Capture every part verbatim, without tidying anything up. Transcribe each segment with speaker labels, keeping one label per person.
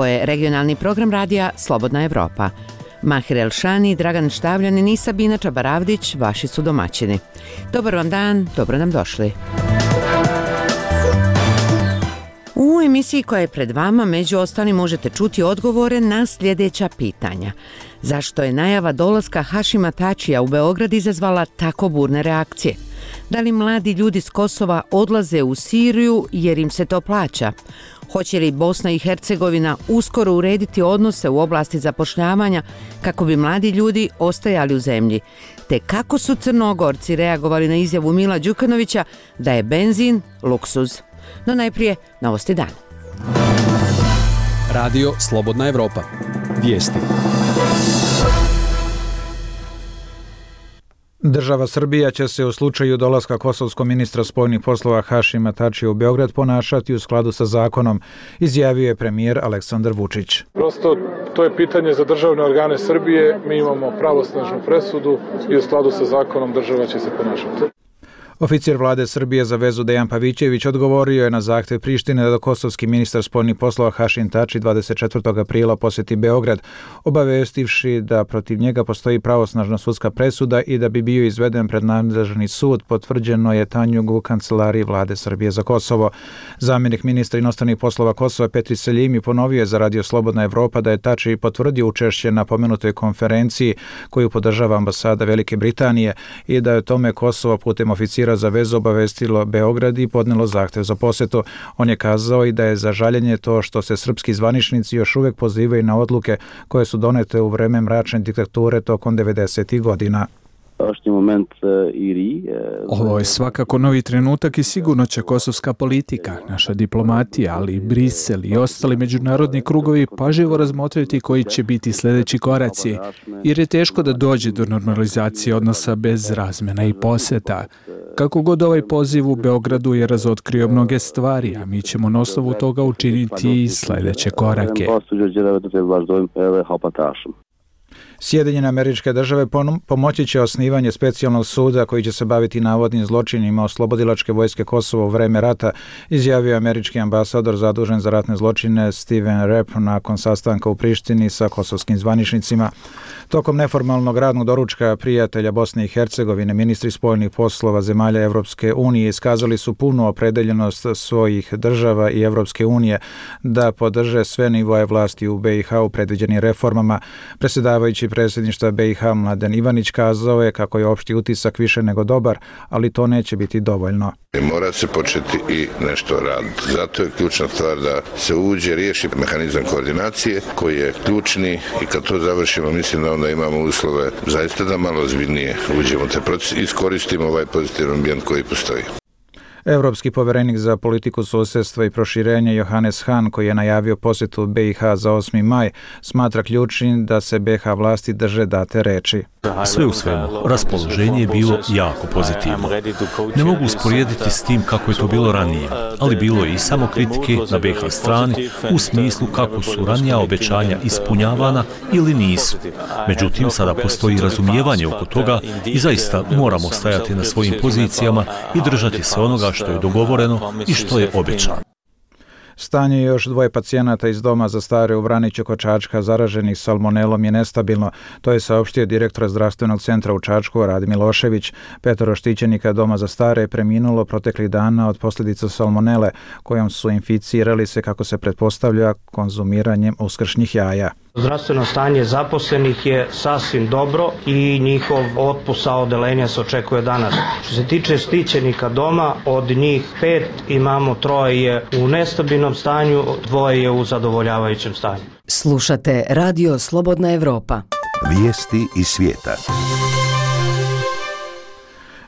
Speaker 1: Ovo je regionalni program radija Slobodna Evropa. Mahir Elšani, Dragan Štavljanin i Sabina Čabaravdić, vaši su domaćini. Dobar vam dan, dobro nam došli. U emisiji koja je pred vama, među ostalim, možete čuti odgovore na sljedeća pitanja. Zašto je najava dolaska Hašima Tačija u Beograd izazvala tako burne reakcije? Da li mladi ljudi s Kosova odlaze u Siriju jer im se to plaća? Hoće li Bosna i Hercegovina uskoro urediti odnose u oblasti zapošljavanja kako bi mladi ljudi ostajali u zemlji? Te kako su Crnogorci reagovali na izjavu Mila Đukanovića da je benzin luksuz? No najprije novosti dana.
Speaker 2: Radio Slobodna Evropa. Vijesti.
Speaker 3: Država Srbija će se u slučaju dolaska kosovskog ministra spoljnih poslova Hašima Tačija u Beograd ponašati u skladu sa zakonom, izjavio je premijer Aleksandar Vučić.
Speaker 4: Prosto to je pitanje za državne organe Srbije, mi imamo pravosnažnu presudu i u skladu sa zakonom država će se ponašati.
Speaker 3: Oficir vlade Srbije za vezu Dejan Pavićević odgovorio je na zahtjev Prištine da kosovski ministar spoljnih poslova Hašim Tači dvadeset četvrtog aprila posjeti Beograd, obavestivši da protiv njega postoji pravosnažna sudska presuda i da bi bio izveden pred nadležni sud, potvrđeno je Tanjugu u kancelariji vlade Srbije za Kosovo. Zamjenik ministra inostranih poslova Kosova Petri Seljimi ponovio je za Radio Slobodna Evropa da je Tači potvrdio učešće na pomenutoj konferenciji koju podržava ambasada Velike Britanije i da je tome Kosovo putem oficira za vezu obavestilo Beograd i podnelo zahtjev za posjetu. On je kazao i da je za žaljenje to što se srpski zvaničnici još uvijek pozivaju na odluke koje su donete u vreme mračne diktature tokom devedesetih godina.
Speaker 5: Ovo je svakako novi trenutak i sigurno će kosovska politika, naša diplomatija, ali i Brisel i ostali međunarodni krugovi pažljivo razmotriti koji će biti sljedeći koraci, jer je teško da dođe do normalizacije odnosa bez razmjena i posjeta. Kako god ovaj poziv u Beogradu je razotkrio mnoge stvari, a mi ćemo na osnovu toga učiniti i sljedeće korake.
Speaker 3: Sjedinjene Američke Države pomoći će osnivanje specijalnog suda koji će se baviti navodnim zločinima oslobodilačke vojske Kosova u vreme rata, izjavio američki ambasador zadužen za ratne zločine Steven Rapp nakon sastanka u Prištini sa kosovskim zvaničnicima. Tokom neformalnog radnog doručka prijatelja Bosne i Hercegovine, ministri spoljnih poslova zemalja Evropske unije iskazali su punu opredeljenost svojih država i Evropske unije da podrže sve nivoe vlasti u be i ha u predviđenim reformama. Predsjedavajući predsjedništva be i ha Mladen Ivanić kazao je kako je opšti utisak više nego dobar, ali to neće biti dovoljno.
Speaker 6: Mora se početi i nešto raditi. Zato je ključna stvar da se uđe, riješi mehanizam koordinacije koji je ključni i kad to završimo mislim da onda imamo uslove zaista da malo ozbiljnije uđemo u taj proces i iskoristimo ovaj pozitivan ambijent koji postoji.
Speaker 3: Evropski povjerenik za politiku susjedstva i proširenja Johannes Hahn, koji je najavio posjetu be i ha za osmi maj, smatra ključnim da se be i ha vlasti drže date reči.
Speaker 7: Sve u svemu, raspoloženje je bilo jako pozitivno. Ne mogu usporediti s tim kako je to bilo ranije, ali bilo je i samo kritike na be i ha strani u smislu kako su ranija obećanja ispunjavana ili nisu. Međutim, sada postoji razumijevanje oko toga i zaista moramo stajati na svojim pozicijama i držati se onoga što je dogovoreno i što je obećano.
Speaker 3: Stanje još dvoje pacijenata iz doma za stare u Vraniću kod Čačka zaraženih salmonelom je nestabilno. To je saopštio direktor zdravstvenog centra u Čačku Rade Milošević. Petoro štićenika doma za stare je preminulo proteklih dana od posljedica salmonele kojom su inficirali se, kako se pretpostavlja, konzumiranjem uskršnjih jaja.
Speaker 8: Zdravstveno stanje zaposlenih je sasvim dobro i njihov otpust sa odeljenja se očekuje danas. Što se tiče štićenika doma, od njih pet imamo troje u nestabilnom stanju, dvoje je u zadovoljavajućem stanju.
Speaker 9: Slušate Radio Slobodna Evropa.
Speaker 10: Vijesti iz svijeta.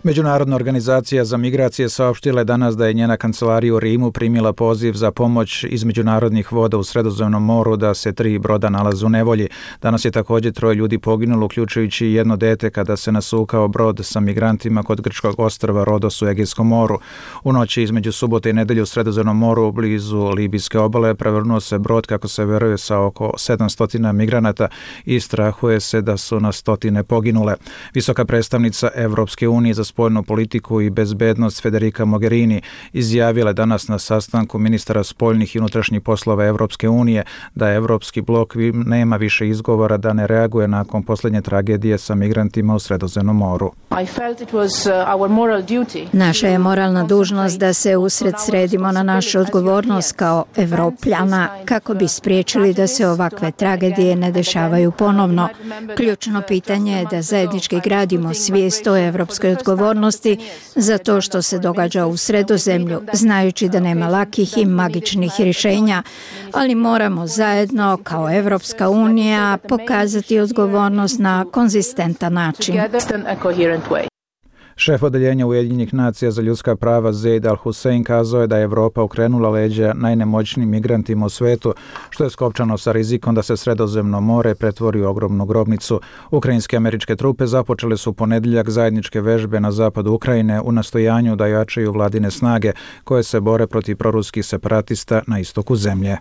Speaker 3: Međunarodna organizacija za migracije saopštila je danas da je njena kancelarija u Rimu primila poziv za pomoć iz međunarodnih voda u Sredozemnom moru da se tri broda nalaze u nevolji. Danas je također troje ljudi poginulo, uključujući jedno dete kada se nasukao brod sa migrantima kod grčkog ostrva Rodos u Egejskom moru. U noći između subote i nedelje u Sredozemnom moru blizu libijske obale prevrnuo se brod, kako se veruje, sa oko sedamsto migranata i strahuje se da su na stotine poginule. Visoka predstavnica Evropske unije za spoljnu politiku i bezbednost Federica Mogherini izjavila je danas na sastanku ministara spoljnih i unutrašnjih poslova Evropske unije da Evropski blok nema više izgovora da ne reaguje nakon posljednje tragedije sa migrantima u Sredozemnom moru.
Speaker 11: Naša je moralna dužnost da se usred sredimo na našu odgovornost kao Evropljana kako bi spriječili da se ovakve tragedije ne dešavaju ponovno. Ključno pitanje je da zajednički gradimo svijest o evropskoj odgovornosti za to što se događa u Sredozemlju, znajući da nema lakih i magičnih rješenja, ali moramo zajedno kao Evropska unija pokazati odgovornost na konzistentan način.
Speaker 3: Šef odeljenja Ujedinjenih nacija za ljudska prava Zeid Al-Hussein kazao je da je Evropa okrenula leđa najnemoćnijim migrantima u svetu, što je skopčano sa rizikom da se Sredozemno more pretvori u ogromnu grobnicu. Ukrajinske američke trupe započele su u ponedjeljak zajedničke vežbe na zapadu Ukrajine u nastojanju da jačaju vladine snage koje se bore protiv proruskih separatista na istoku zemlje.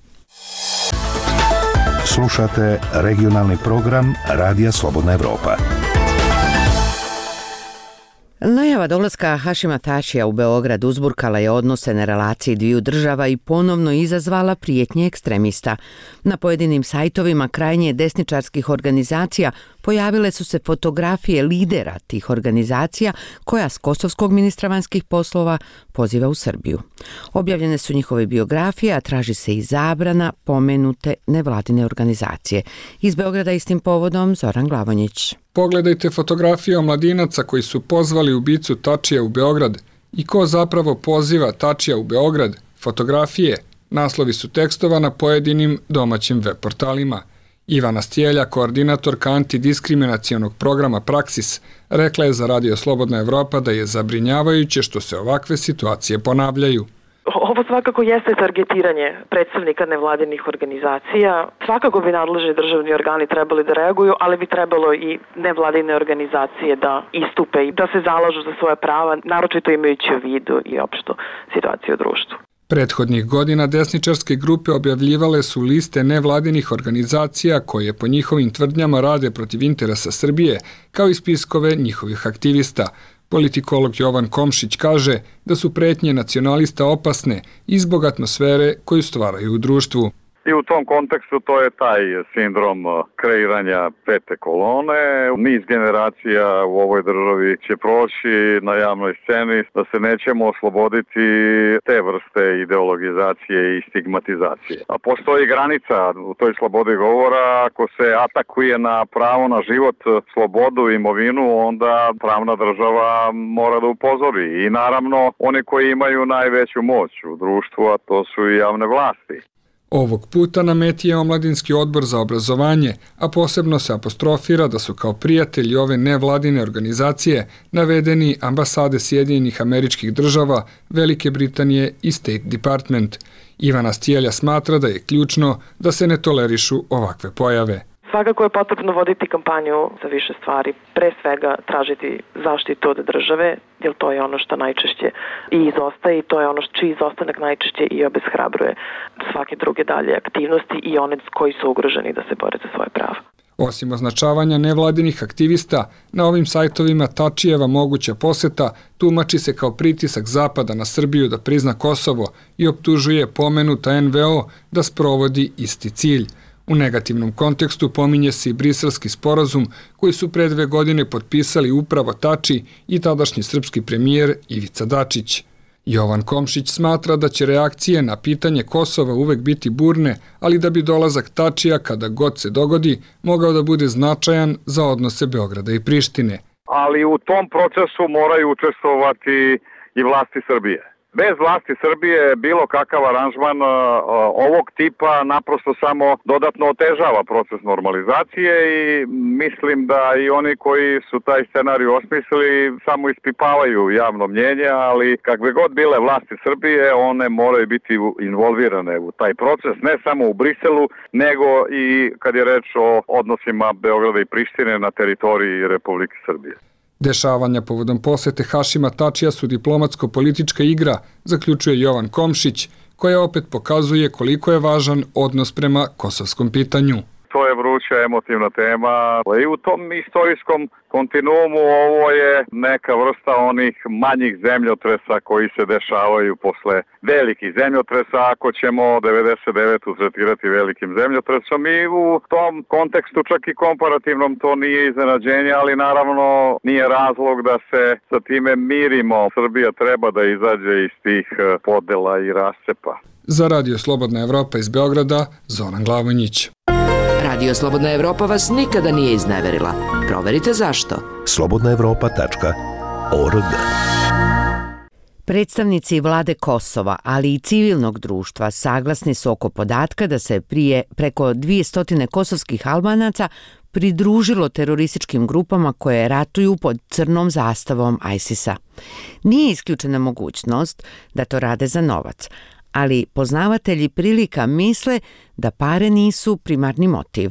Speaker 10: Slušate regionalni program Radija Slobodna Evropa.
Speaker 1: Najava dolaska Hašima Tačija u Beograd uzburkala je odnose na relaciji dviju država i ponovno izazvala prijetnje ekstremista. Na pojedinim sajtovima krajnje desničarskih organizacija pojavile su se fotografije lidera tih organizacija koja s kosovskog ministra vanjskih poslova poziva u Srbiju. Objavljene su njihove biografije, a traži se i zabrana pomenute nevladine organizacije. Iz Beograda istim povodom Zoran Glavonjić.
Speaker 12: Pogledajte fotografije omladinaca koji su pozvali ubicu Tačija u Beograd i ko zapravo poziva Tačija u Beograd. Fotografije, naslovi su tekstova na pojedinim domaćim web portalima. Ivana Stjelja, koordinatorka antidiskriminacionog programa Praksis, rekla je za Radio Slobodna Evropa da je zabrinjavajuće što se ovakve situacije ponavljaju.
Speaker 13: Ovo svakako jeste targetiranje predstavnika nevladinih organizacija. Svakako bi nadležni državni organi trebali da reaguju, ali bi trebalo i nevladine organizacije da istupe i da se zalažu za svoje prava, naročito imajući u vidu i opštu situaciju u društvu.
Speaker 12: Prethodnih godina desničarske grupe objavljivale su liste nevladinih organizacija koje po njihovim tvrdnjama rade protiv interesa Srbije, kao i spiskove njihovih aktivista. Politikolog Jovan Komšić kaže da su pretnje nacionalista opasne i zbog atmosfere koju stvaraju u društvu.
Speaker 14: I u tom kontekstu to je taj sindrom kreiranja pete kolone. Niz generacija u ovoj državi će proći na javnoj sceni da se nećemo osloboditi te vrste ideologizacije i stigmatizacije. A postoji granica u toj slobodi govora. Ako se atakuje na pravo na život, slobodu i imovinu, onda pravna država mora da upozori. I naravno, oni koji imaju najveću moć u društvu, a to su i javne vlasti.
Speaker 12: Ovog puta na meti je Omladinski odbor za obrazovanje, a posebno se apostrofira da su kao prijatelji ove nevladine organizacije navedeni ambasade Sjedinjenih Američkih Država, Velike Britanije i State Department. Ivana Stjelja smatra da je ključno da se ne tolerišu ovakve pojave.
Speaker 13: Svakako je potrebno voditi kampanju za više stvari. Pre svega tražiti zaštitu od države, jer to je ono što najčešće i izostaje i to je ono čiji izostanak najčešće i obeshrabruje svake druge dalje aktivnosti i one koji su ugroženi da se bore za svoje prava.
Speaker 12: Osim označavanja nevladinih aktivista, na ovim sajtovima Tačijeva moguća poseta tumači se kao pritisak Zapada na Srbiju da prizna Kosovo i optužuje pomenuta en ve o da sprovodi isti cilj. U negativnom kontekstu pominje se i briselski sporazum koji su pre dve godine potpisali upravo Tači i tadašnji srpski premijer Ivica Dačić. Jovan Komšić smatra da će reakcije na pitanje Kosova uvek biti burne, ali da bi dolazak Tačija kada god se dogodi mogao da bude značajan za odnose Beograda i Prištine.
Speaker 14: Ali u tom procesu moraju učestvovati i vlasti Srbije. Bez vlasti Srbije bilo kakav aranžman uh, ovog tipa naprosto samo dodatno otežava proces normalizacije i mislim da i oni koji su taj scenarij osmislili samo ispipavaju javno mnjenje, ali kakve god bile vlasti Srbije, one moraju biti involvirane u taj proces, ne samo u Briselu, nego i kad je reč o odnosima Beograda i Prištine na teritoriji Republike Srbije.
Speaker 12: Dešavanja povodom posete Hašima Tačija su diplomatsko-politička igra, zaključuje Jovan Komšić, koja opet pokazuje koliko je važan odnos prema kosovskom pitanju.
Speaker 14: To je vruća emotivna tema i u tom istorijskom kontinuumu ovo je neka vrsta onih manjih zemljotresa koji se dešavaju posle velikih zemljotresa, ako ćemo devedeset devetu tretirati velikim zemljotresom, i u tom kontekstu čak i komparativnom to nije iznenađenje, ali naravno nije razlog da se sa time mirimo. Srbija treba da izađe iz tih podela i rascepa.
Speaker 12: Za Radio Slobodna Evropa iz Beograda, Zoran Glavonjić.
Speaker 15: Radio Slobodna Evropa vas nikada nije izneverila. Proverite zašto.
Speaker 10: slobodna evropa tačka org.
Speaker 1: Predstavnici vlade Kosova, ali i civilnog društva saglasni su oko podatka da se prije preko dvjesto kosovskih Albanaca pridružilo terorističkim grupama koje ratuju pod crnom zastavom ISIS-a. Nije isključena mogućnost da to rade za novac, ali poznavatelji prilika misle da pare nisu primarni motiv.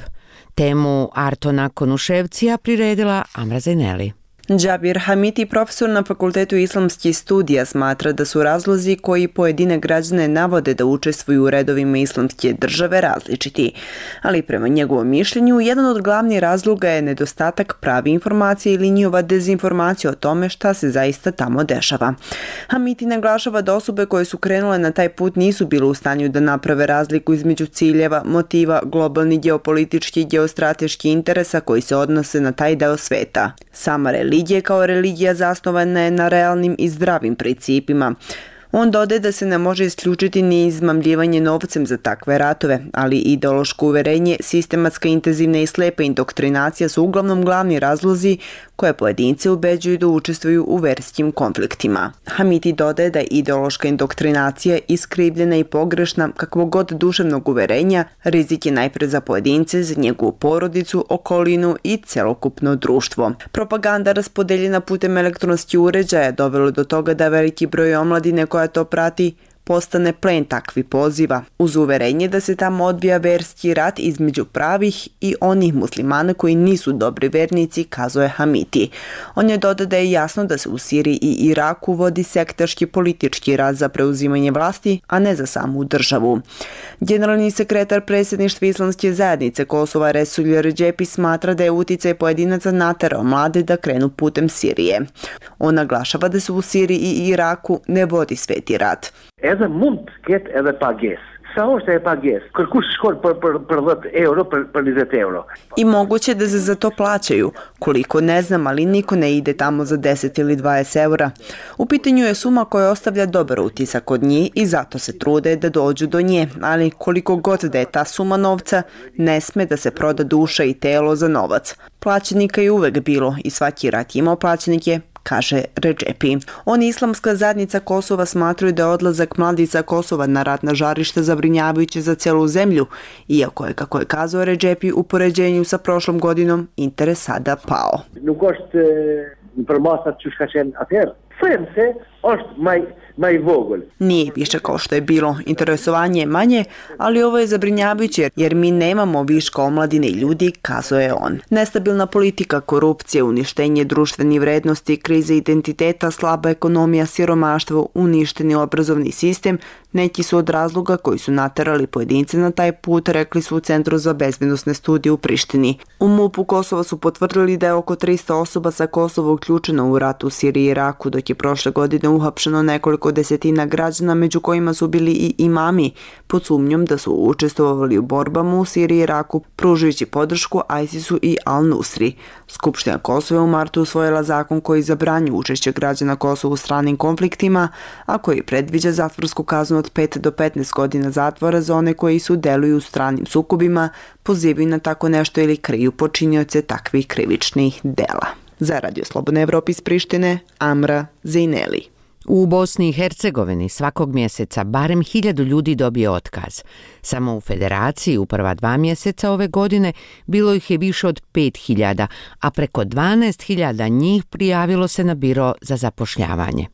Speaker 1: Temu Artona Konuševcija priredila Amra Zajneli.
Speaker 16: Džabir Hamiti, profesor na Fakultetu islamskih studija, smatra da su razlozi koji pojedine građane navode da učestvuju u redovima islamske države različiti. Ali prema njegovom mišljenju, jedan od glavnih razloga je nedostatak pravi informacije ili njihova dezinformacija o tome šta se zaista tamo dešava. Hamiti naglašava da osobe koje su krenule na taj put nisu bile u stanju da naprave razliku između ciljeva, motiva, globalnih geopolitičkih i geostrateških interesa koji se odnose na taj deo sveta. Sama religija kao religija zasnovana je na realnim i zdravim principima. On dodaje da se ne može isključiti ni izmamljivanje novcem za takve ratove, ali ideološko uverenje, sistematska, intenzivna i slepa indoktrinacija su uglavnom glavni razlozi koje pojedince ubeđuju da učestvuju u verskim konfliktima. Hamiti dodaje da je ideološka indoktrinacija iskrivljena i pogrešna kakvog god duševnog uverenja, rizik je najpre za pojedince, za njegovu porodicu, okolinu i celokupno društvo. Propaganda raspodeljena putem elektronskih uređaja dovelo do toga da veliki broj omladine koja to prati postane plen takvi poziva, uz uverenje da se tamo odvija verski rat između pravih i onih muslimana koji nisu dobri vernici, kazuje Hamiti. On je dodao da je jasno da se u Siriji i Iraku vodi sektaški politički rat za preuzimanje vlasti, a ne za samu državu. Generalni sekretar predsjedništva Islamske zajednice Kosova Resulje Redžepi smatra da je uticaj pojedinaca naterao mlade da krenu putem Sirije. On naglašava da se u Siriji i Iraku ne vodi sveti rat.
Speaker 17: Edhe mund të ketë edhe pagesë. Sa është e pagesë? Kërkush shkon për për për dhjetë euro, për për njëzet euro.
Speaker 16: I moguće da se za to plaćaju. Koliko ne znam, ali niko ne ide tamo za deset ili dvadeset eura. U pitanju je suma koja ostavlja dobar utisak kod njih i zato se trude da dođu do nje, ali koliko god da je ta suma novca, ne sme da se proda duša i telo za novac. Plaćenika je uvek bilo i svaki rat imao plaćenike, kaže Redžepi. On i Islamska zajednica Kosova smatraju da je odlazak mladica Kosova na ratna žarišta zabrinjavajuće za celu zemlju, iako je, kako je kazao Redžepi, u poređenju sa prošlom godinom interes sada pao.
Speaker 17: Nuk është për masat që shka qenë atëherë. Them se është maj
Speaker 16: Nije više kao što je bilo, interesovanje je manje, ali ovo je zabrinjavajuće jer mi nemamo viška omladine i ljudi, kazuje on. Nestabilna politika, korupcija, uništenje društvenih vrednosti, krize identiteta, slaba ekonomija, siromaštvo, uništeni obrazovni sistem, neki su od razloga koji su naterali pojedince na taj put, rekli su u Centru za bezbednosne studije u Prištini. U MUP-u Kosova su potvrdili da je oko tristo osoba sa Kosova uključeno u rat u Siriji i Iraku, dok je prošle godine uhapšeno nekoliko desetina građana, među kojima su bili i imami, pod sumnjom da su učestvovali u borbama u Siriji i Iraku, pružujući podršku ISIS-u i Al-Nusri. Skupština Kosova u martu usvojila zakon koji zabranjuje učešće građana Kosova u stranim konfliktima, a koji predviđa zatvorsku kaznu od pet do petnaest godina zatvora za one koji su deluju u stranim sukobima, pozivaju na tako nešto ili kriju počinioce takvih krivičnih dela. Za Radio Slobodna Evropa iz Prištine, Amra Zajneli.
Speaker 1: U Bosni i Hercegovini svakog mjeseca barem hiljadu ljudi dobije otkaz. Samo u Federaciji u prva dva mjeseca ove godine bilo ih je više od pet hiljada, a preko dvanaest hiljada njih prijavilo se na biro za zapošljavanje.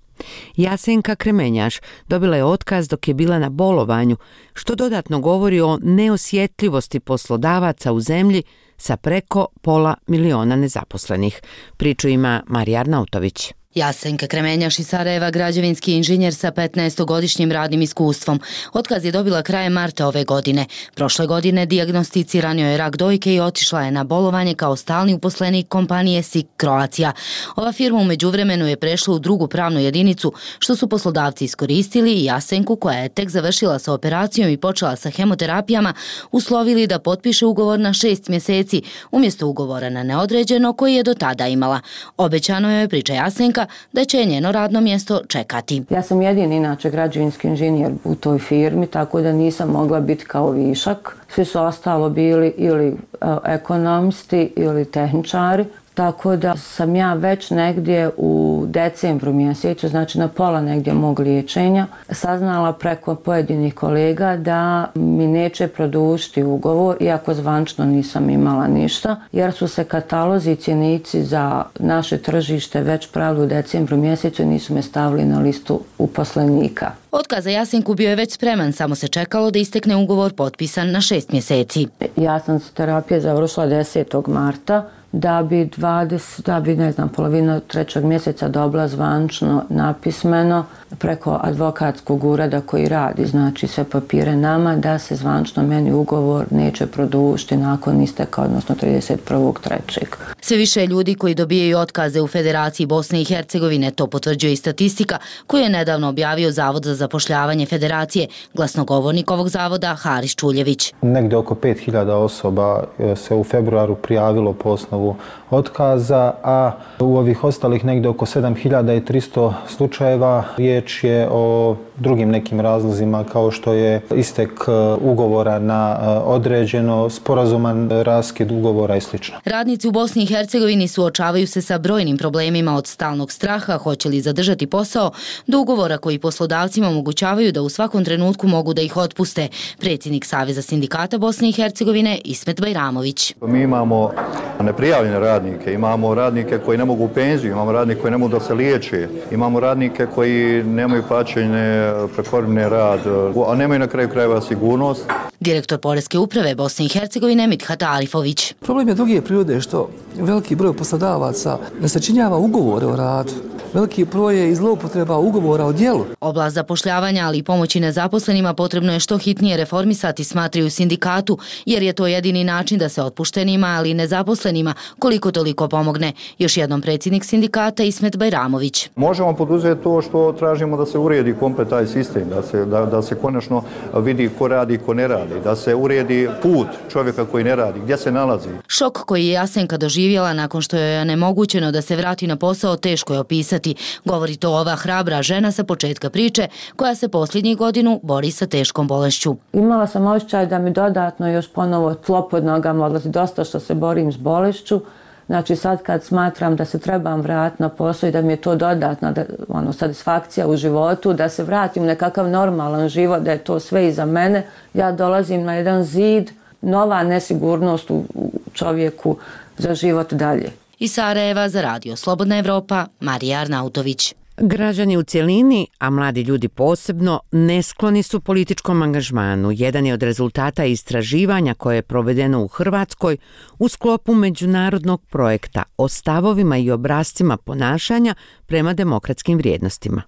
Speaker 1: Jasenka Kremenjaš dobila je otkaz dok je bila na bolovanju, što dodatno govori o neosjetljivosti poslodavaca u zemlji sa preko pola miliona nezaposlenih. Priču ima Marija Arnautović.
Speaker 18: Jasenka Kremenjaš iz Sarajeva, građevinski inženjer sa petnaestogodišnjim radnim iskustvom. Otkaz je dobila krajem marta ove godine. Prošle godine dijagnosticiran joj je rak dojke i otišla je na bolovanje kao stalni uposlenik kompanije S I K Croatia. Ova firma u međuvremenu je prešla u drugu pravnu jedinicu, što su poslodavci iskoristili i Jasenku, koja je tek završila sa operacijom i počela sa hemoterapijama, uslovili da potpiše ugovor na šest mjeseci umjesto ugovora na neodređeno koji je do tada imala. Obećano joj je, priča Jasenka, da će njeno radno mjesto čekati.
Speaker 19: Ja sam jedini inače građevinski inženjer u toj firmi, tako da nisam mogla biti kao višak. Svi su ostalo bili ili ekonomisti ili tehničari. Tako da sam ja već negdje u decembru mjesecu, znači na pola negdje mog liječenja, saznala preko pojedinih kolega da mi neće produžiti ugovor, iako zvančno nisam imala ništa, jer su se katalozi i cjenici za naše tržište već pravili u decembru mjesecu i nisu me stavili na listu uposlenika.
Speaker 18: Otkaz za Jasenku bio je već spreman, samo se čekalo da istekne ugovor potpisan na šest mjeseci.
Speaker 19: Ja sam terapiju završila desetog marta. Da bi dvadeset, da bi ne znam, polovina trećeg mjeseca dobila zvančno napismeno preko advokatskog ureda koji radi, znači sve papire nama, da se zvančno meni ugovor neće produžiti nakon isteka, odnosno trideset prvog trećeg
Speaker 18: Sve više ljudi koji dobijaju otkaze u Federaciji Bosne i Hercegovine, to potvrđuje i statistika koju je nedavno objavio Zavod za zapošljavanje Federacije. Glasnogovornik ovog zavoda Haris Čuljević.
Speaker 20: Negdje oko pet hiljada osoba se u februaru prijavilo po osnovu otkaza, a u ovih ostalih negdje oko sedam hiljada tristo slučajeva riječ je o drugim nekim razlozima kao što je istek ugovora na određeno, sporazuman raskid ugovora i sl.
Speaker 18: Radnici u Bosni i Hercegovini suočavaju se sa brojnim problemima, od stalnog straha hoće li zadržati posao do ugovora koji poslodavcima omogućavaju da u svakom trenutku mogu da ih otpuste. Predsjednik Saveza sindikata Bosne i Hercegovine Ismet Bajramović.
Speaker 21: Mi imamo neprijavljene radnike, imamo radnike koji ne mogu u penziju, imamo radnike koji ne mogu da se liječe, imamo radnike koji nemaju plaćene prekovremeni rad, a nemaju na kraju krajeva sigurnost.
Speaker 18: Direktor Poreske uprave Bosne i Hercegovine Mithat Arifović.
Speaker 22: Problem je druge prirode što veliki broj poslodavaca ne sačinjava ugovore o radu. Veliki broj je i zloupotreba ugovora o djelu.
Speaker 18: Oblast zapošljavanja, ali i pomoći nezaposlenima potrebno je što hitnije reformisati, smatraju u sindikatu, jer je to jedini način da se otpuštenima, ali i nezaposlenima koliko toliko pomogne. Još jednom predsjednik sindikata Ismet Bajramović.
Speaker 21: Možemo poduzeti to što tražimo, da se uredi komplet taj sistem, da se, da, da se konačno vidi ko radi i ko ne radi, da se uredi put čovjeka koji ne radi, gdje se nalazi.
Speaker 18: Šok koji je Jasenka doživjela nakon što je onemogućeno da se vrati na posao teško je opisati. Govori to ova hrabra žena sa početka priče koja se posljednjih godinu bori sa teškom bolešću.
Speaker 19: Imala sam osjećaj da mi dodatno još ponovo tlo pod nogama odlazi, dosta što se borim s bolešću. Znači sad kad smatram da se trebam vratiti na posao i da mi je to dodatna da, ono, satisfakcija u životu, da se vratim u nekakav normalan život, da je to sve iza mene, ja dolazim na jedan zid, nova nesigurnost u čovjeku za život dalje.
Speaker 18: Iz Sarajeva za Radio Slobodna Evropa, Marija Arnautović.
Speaker 1: Građani u cjelini, a mladi ljudi posebno, neskloni su političkom angažmanu. Jedan je od rezultata istraživanja koje je provedeno u Hrvatskoj u sklopu međunarodnog projekta o stavovima i obrascima ponašanja prema demokratskim vrijednostima.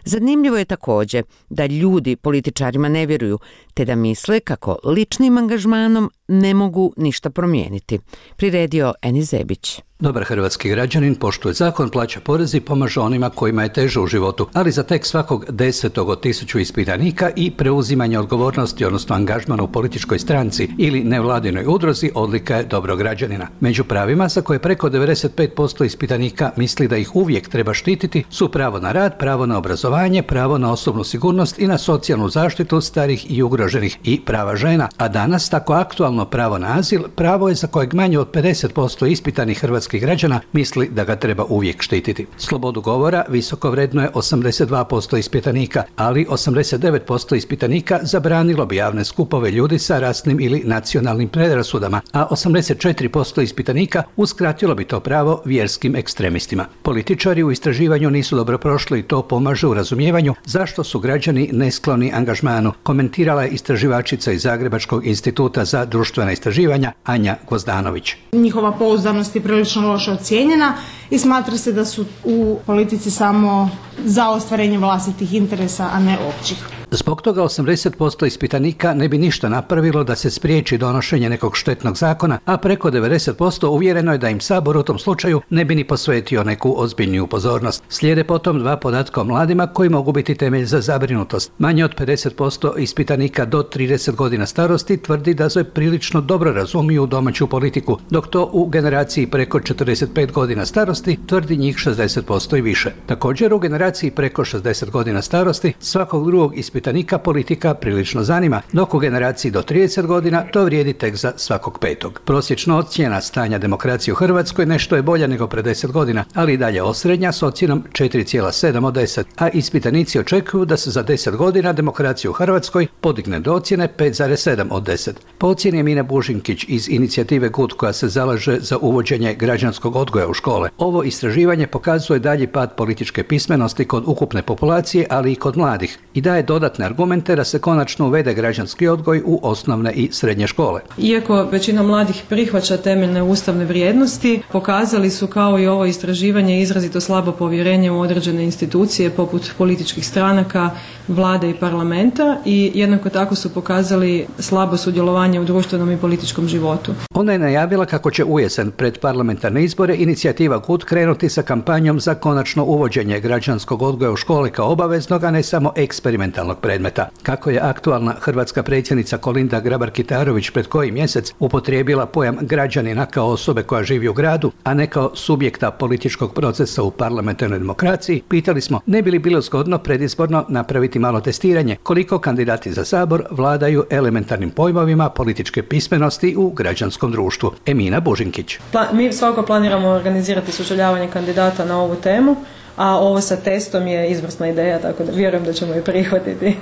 Speaker 1: Zanimljivo je također da ljudi političarima ne vjeruju, te da misle kako ličnim angažmanom ne mogu ništa promijeniti. Priredio Eni Zebić.
Speaker 23: Dobar hrvatski građanin poštuje zakon, plaća porez i pomaže onima kojima je teže u životu, ali za tek svakog desetog od tisuću ispitanika i preuzimanje odgovornosti, odnosno angažmana u političkoj stranci ili nevladinoj udruzi, odlika je dobrog građanina. Među pravima za koje preko devedeset pet posto ispitanika misli da ih uvijek treba štititi su pravo na rad, pravo na obrazovanje, pravo na osobnu sigurnost i na socijalnu zaštitu starih i ugroženih i prava žena, a danas tako aktualno pravo na azil, pravo je za kojeg manje od pedeset posto ispitanih hrvatskih građana misli da ga treba uvijek štititi. Slobodu govora visoko vrednuje osamdeset dva posto ispitanika, ali osamdeset devet posto ispitanika zabranilo bi javne skupove ljudi sa rasnim ili nacionalnim predrasudama, a osamdeset četiri posto ispitanika uskratilo bi to pravo vjerskim ekstremistima. Političari u istraživanju nisu dobro prošli i to pomaže u razumijevanju zašto su građani neskloni angažmanu, komentirala je istraživačica iz Zagrebačkog instituta za društvenu društvena istraživanja Anja Gvozdanović.
Speaker 2: Njihova pouzdanost je prilično loše ocijenjena i smatra se da su u politici samo za ostvarenje vlastitih interesa, a ne općih.
Speaker 23: Zbog toga osamdeset posto ispitanika ne bi ništa napravilo da se spriječi donošenje nekog štetnog zakona, a preko devedeset posto uvjereno je da im Sabor u tom slučaju ne bi ni posvetio neku ozbiljniju pozornost. Slijede potom dva podatka o mladima koji mogu biti temelj za zabrinutost. Manje od pedeset posto ispitanika do trideset godina starosti tvrdi da se prilično dobro razumiju domaću politiku, dok to u generaciji preko četrdeset pet godina starosti tvrdi njih šezdeset posto i više. Također u generaciji preko šezdeset godina starosti svakog drugog ispitanika politika prilično zanima, dok u generaciji do trideset godina to vrijedi tek za svakog petog. Prosječna ocjena stanja demokracije u Hrvatskoj nešto je bolja nego pre deset godina, ali i dalje osrednja s ocjenom četiri zarez sedam od deset, a ispitanici očekuju da se za deset godina demokracija u Hrvatskoj podigne do ocjene pet zarez sedam od deset. Po ocjeni Emine Bužinkić iz inicijative Good koja se zalaže za uvođenje građanskog odgoja u škole, ovo istraživanje pokazuje dalji pad političke pismenosti kod ukupne populacije, ali i kod mladih i daje dodatne argumente da se konačno uvede građanski odgoj u osnovne i srednje škole.
Speaker 4: Iako većina mladih prihvaća temeljne ustavne vrijednosti, pokazali su kao i ovo istraživanje izrazito slabo povjerenje u određene institucije poput političkih stranaka, vlade i parlamenta i jednako tako su pokazali slabo sudjelovanje u društvenom i političkom životu.
Speaker 23: Ona je najavila kako će ujesen pred parlamentarne izbore inicijativa Good krenuti sa kampanjom za konačno uvođenje građanskog odgoja u škole kao obaveznog, a ne samo eksperimentalnog predmeta. Kako je aktualna hrvatska predsjednica Kolinda Grabar-Kitarović pred koji mjesec upotrijebila pojam građanina kao osobe koja živi u gradu, a ne kao subjekta političkog procesa u parlamentarnoj demokraciji, pitali smo ne bi li bilo zgodno predizborno napraviti malo testiranje koliko kandidati za Sabor vladaju elementarnim pojmovima političke pismenosti u građanskom društvu. Emina Bužinkić.
Speaker 4: Pla- mi svakako planiramo organizirati sučeljavanje kandidata na ovu temu, a ovo sa testom je izvrsna ideja, tako da vjerujem da ćemo je prihvatiti.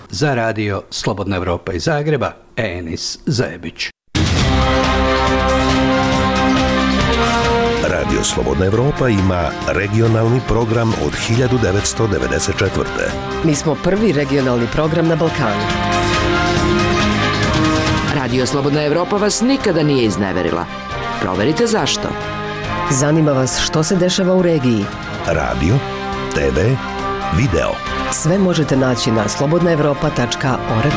Speaker 23: Za radio Slobodna Evropa iz Zagreba, Enis Zajebić.
Speaker 5: Radio Slobodna Evropa ima regionalni program od hiljadu devetsto devedeset četvrte.
Speaker 9: Mi smo prvi regionalni program na Balkanu.
Speaker 15: Radio Slobodna Evropa vas nikada nije izneverila. Proverite zašto.
Speaker 9: Zanima vas što se dešava u regiji.
Speaker 5: Radio, te ve, video.
Speaker 9: Sve možete naći na slobodna evropa tačka org.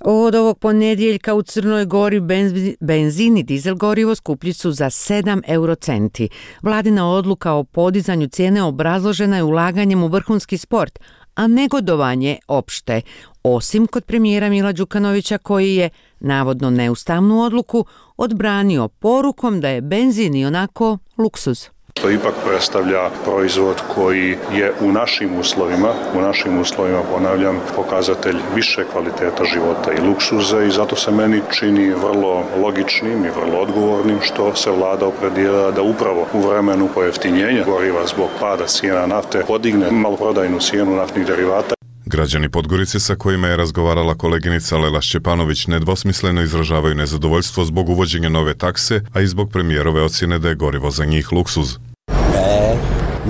Speaker 1: Od ovog ponedjeljka u Crnoj Gori benzin i dizel gorivo skuplji su za sedam eurocenti. Vladina odluka o podizanju cijene obrazložena je ulaganjem u vrhunski sport, a negodovanje opšte, osim kod premijera Mila Đukanovića koji je, navodno neustavnu odluku, odbranio porukom da je benzin i onako luksuz.
Speaker 24: To ipak predstavlja proizvod koji je u našim uslovima, u našim uslovima, ponavljam, pokazatelj više kvaliteta života i luksuza i zato se meni čini vrlo logičnim i vrlo odgovornim što se vlada opredijelila da upravo u vremenu pojeftinjenja goriva zbog pada cijena nafte podigne maloprodajnu cijenu naftnih derivata.
Speaker 25: Građani Podgorice sa kojima je razgovarala koleginica Lela Šćepanović nedvosmisleno izražavaju nezadovoljstvo zbog uvođenja nove takse, a i zbog premijerove ocjene da je gorivo za njih luksuz.
Speaker 26: Ne,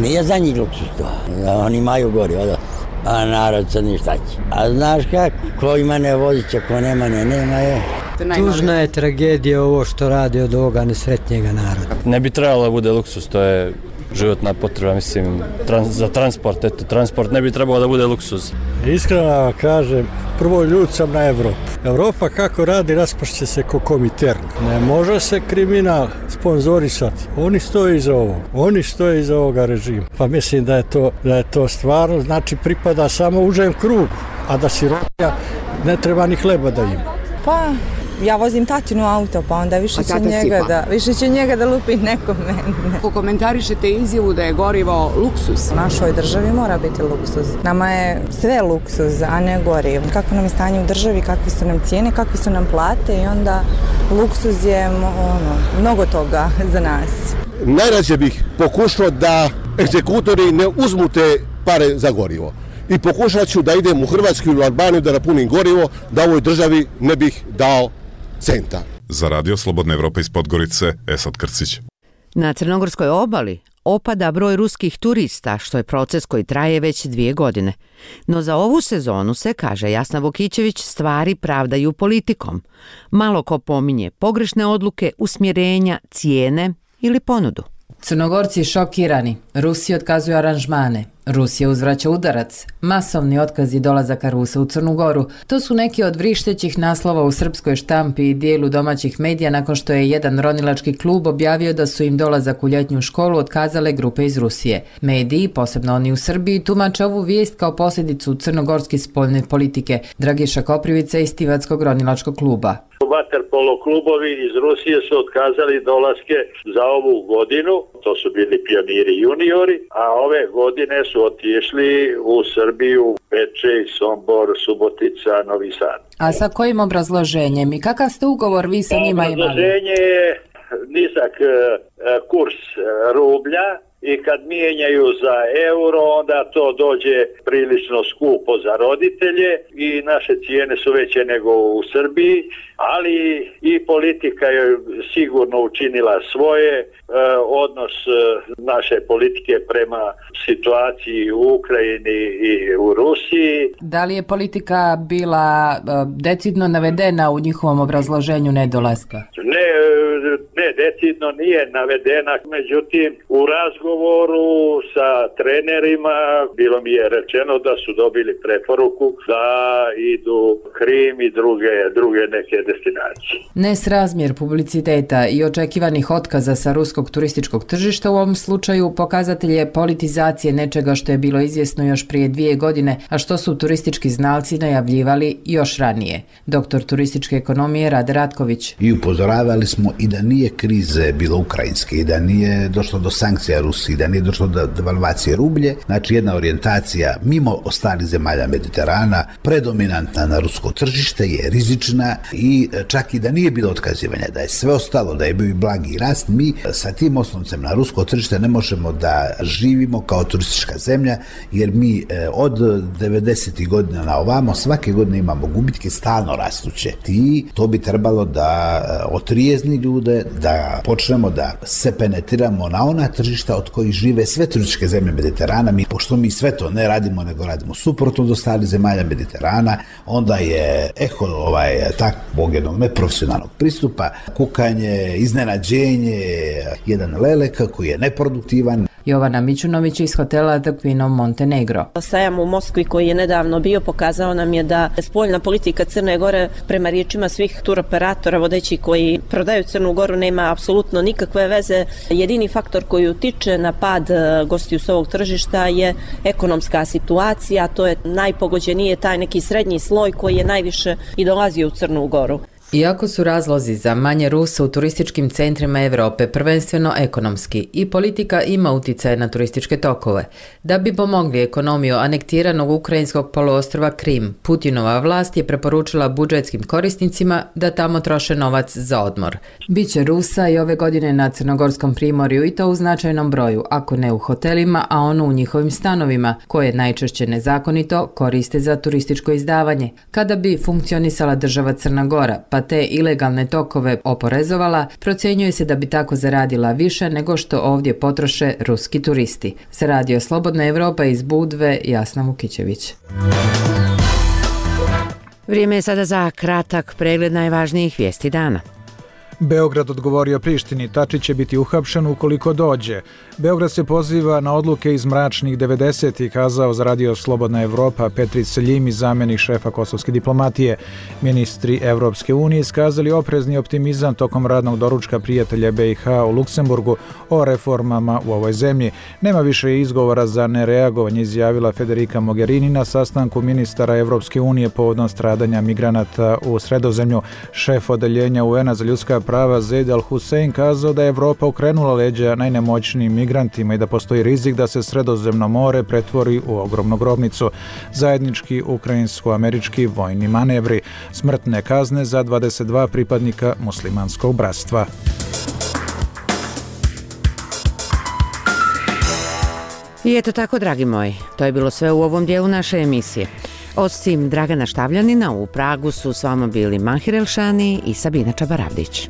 Speaker 26: nije za njih luksuz to. Oni imaju gorivo, da. A narod sad ništa će. A znaš kako, ko ima ne vozit će, ko nema ne, nema je.
Speaker 27: Tužna je tragedija ovo što radi od ovoga nesretnjega naroda.
Speaker 28: Ne bi trebalo da bude luksus, to je životna potreba, mislim, trans, za transport, eto, transport ne bi trebalo da bude luksuz.
Speaker 27: Iskreno kažem, prvo ljud sam na Evropu. Evropa kako radi, raspašće se ko Komintern. Ne može se kriminal sponzorisati. Oni stoje iza ovog. Oni stoje iza ovoga režima. Pa mislim da je to, da je to stvarno, znači pripada samo užem krugu, a da sirotinja ne treba ni hleba da ima.
Speaker 29: Pa, ja vozim tatinu auto, pa onda više će njega da, više će njega da lupi neko mene.
Speaker 30: Ako komentarišete izjavu da je gorivo luksuz?
Speaker 29: U našoj državi mora biti luksuz. Nama je sve luksuz, a ne gorivo. Kako nam je stanje u državi, kakve su nam cijene, kakve su nam plate i onda luksuz je ono, mnogo toga za nas.
Speaker 31: Najrađe bih pokušao da egzekutori ne uzmu te pare za gorivo. I pokušat ću da idem u Hrvatsku ili u Albaniju da napunim gorivo, da ovoj državi ne bih dao centa.
Speaker 25: Za radio Slobodna Evropa iz Podgorice, Esad Krcić.
Speaker 1: Na crnogorskoj obali opada broj ruskih turista, što je proces koji traje već dvije godine. No za ovu sezonu se, kaže Jasna Vukićević, stvari pravdaju politikom. Malo ko pominje pogrešne odluke, usmjerenja, cijene ili ponudu.
Speaker 3: Crnogorci šokirani, Rusi otkazuju aranžmane, Rusija uzvraća udarac, masovni otkazi dolazaka Rusa u Crnu Goru. To su neki od vrištećih naslova u srpskoj štampi i dijelu domaćih medija nakon što je jedan ronilački klub objavio da su im dolazak u ljetnju školu otkazale grupe iz Rusije. Mediji, posebno oni u Srbiji, tumače ovu vijest kao posljedicu crnogorske spoljne politike. Dragiša Koprivica iz Tivatskog ronilačkog kluba.
Speaker 6: Vaterpolo klubovi iz Rusije su otkazali dolaske za ovu godinu, to su bili pioniri juniori, a ove godine su otišli u Srbiju, Bečej, Sombor, Subotica, Novi Sad.
Speaker 3: A sa kojim obrazloženjem i kakav ste ugovor vi sa njima imali?
Speaker 6: Obrazloženje je nizak kurs rublja i kad mijenjaju za euro, onda to dođe prilično skupo za roditelje i naše cijene su veće nego u Srbiji, ali i politika je sigurno učinila svoje, odnos naše politike prema situaciji u Ukrajini i u Rusiji.
Speaker 3: Da li je politika bila decidno navedena u njihovom obrazloženju nedolaska?
Speaker 6: Ne, ne, decidno nije navedena, međutim u razgovoru sa trenerima bilo mi je rečeno da su dobili preporuku da idu Krim i druge, druge neke destinacije.
Speaker 3: Nesrazmjer publiciteta i očekivanih otkaza sa ruskog turističkog tržišta u ovom slučaju pokazatelj je politizacije nečega što je bilo izvjesno još prije dvije godine, a što su turistički znalci najavljivali još ranije. Doktor turističke ekonomije Rade Ratković.
Speaker 7: I upozoravali smo i da nije krize bilo ukrajinske, i da nije došlo do sankcija Rusiji, da nije došlo do devalvacije rublje, znači jedna orijentacija mimo ostalih zemalja Mediterana, predominantna na rusko tržište, je rizična i čak i da nije bilo otkazivanja, da je sve ostalo, da je bio i blagi rast, mi sa tim osnovcem na rusko tržište ne možemo da živimo kao turistička zemlja, jer mi od devedesetih godina na ovamo svake godine imamo gubitke stalno rastuće. I to bi trebalo da otrijezni ljude, da počnemo da se penetriramo na ona tržišta od kojih žive sve turističke zemlje Mediterana. Mi, pošto mi sve to ne radimo, nego radimo suprotno od ostalih zemalja Mediterana, onda je eho ovaj, takvog jednog neprofesionalnog pristupa, kukanje, iznenađenje, jedan lelek koji je neproduktivan.
Speaker 3: Jovana Mićunović iz hotela The Queen of Montenegro.
Speaker 8: Sajam u Moskvi koji je nedavno bio pokazao nam je da spoljna politika Crne Gore prema riječima svih turoperatora vodeći koji prodaju Crnu Goru nema apsolutno nikakve veze. Jedini faktor koji utiče na pad gostiju s ovog tržišta je ekonomska situacija, to je najpogođenije taj neki srednji sloj koji je najviše i dolazio u Crnu Goru.
Speaker 3: Iako su razlozi za manje Rusa u turističkim centrima Europe prvenstveno ekonomski i politika ima utjecaj na turističke tokove. Da bi pomogli ekonomiju anektiranog ukrajinskog poluostrva Krim, Putinova vlast je preporučila budžetskim korisnicima da tamo troše novac za odmor. Biće Rusa i ove godine na Crnogorskom primorju i to u značajnom broju, ako ne u hotelima, a ono u njihovim stanovima, koje najčešće nezakonito koriste za turističko izdavanje. Kada bi funkcionisala država Crna Gora, pa te ilegalne tokove oporezovala, procjenjuje se da bi tako zaradila više nego što ovdje potroše ruski turisti. Za Radio Slobodna Evropa iz Budve, Jasna Vukićević.
Speaker 1: Vrijeme je sada za kratak pregled najvažnijih vijesti dana.
Speaker 10: Beograd odgovorio Prištini, Tačić će biti uhapšen ukoliko dođe. Beograd se poziva na odluke iz mračnih devedesetih, kazao za Radio Slobodna Evropa Petri Seljimi, zamjenik šefa kosovske diplomatije. Ministri Evropske unije iskazali oprezni optimizam tokom radnog doručka prijatelja B i H u Luksemburgu o reformama u ovoj zemlji. Nema više izgovora za nereagovanje, izjavila Federica Mogherini na sastanku ministara Evropske unije povodom stradanja migranata u Sredozemlju. Šef odeljenja U N-a za ljudska prava Zeid Al-Hussein kazao da je Evropa okrenula leđa najnemoćnijim migrantima i da postoji rizik da se Sredozemno more pretvori u ogromnu grobnicu. Zajednički ukrajinsko-američki vojni manevri, smrtne kazne za dvadeset dva pripadnika muslimanskog bratstva.
Speaker 1: I eto tako, dragi moji, to je bilo sve u ovom dijelu naše emisije. Osim Dragana Štavljanina, u Pragu su s vama bili Mahir Elšani i Sabina Čabaravdić.